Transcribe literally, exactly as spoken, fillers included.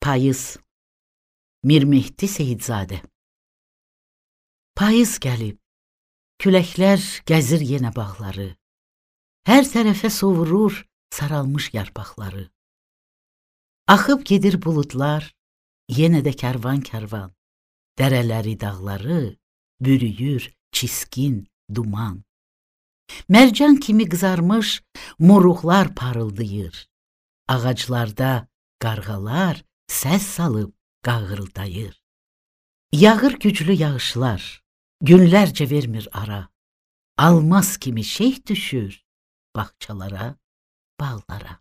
Payız. Mir Mehdi Seyidzadə. Payız gəlib, küləklər gəzir yenə bağları, hər tərəfə sovurur saralmış yarpaqları. Axıb gedir buludlar, yenə də kərvan-kərvan, dərələri, dağları bürüyür çiskin duman. Mərcan kimi qızarmış moruqlar parıldayır, ağaclarda qarğalar səs salıb qağıldayır. Yağır güclü yağışlar, günlərcə vermir ara, almaz kimi şeyh düşür bağçalara, bağlara.